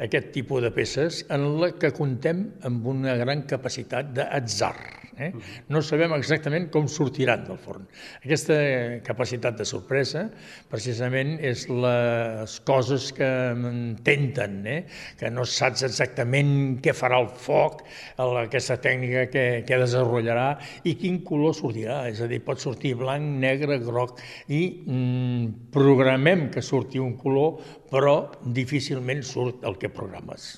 aquest tipus de peces en la que comptem amb una gran capacitat d'atzar. No sabem exactament com sortiran del forn. Aquesta capacitat de sorpresa, precisament, és les coses que m'ententen, que no saps exactament què farà el foc, aquesta tècnica que desenvoluparà i quin color sortirà. És a dir, pot sortir blanc, negre, groc, i programem que surti un color, però difícilment surt el que programes.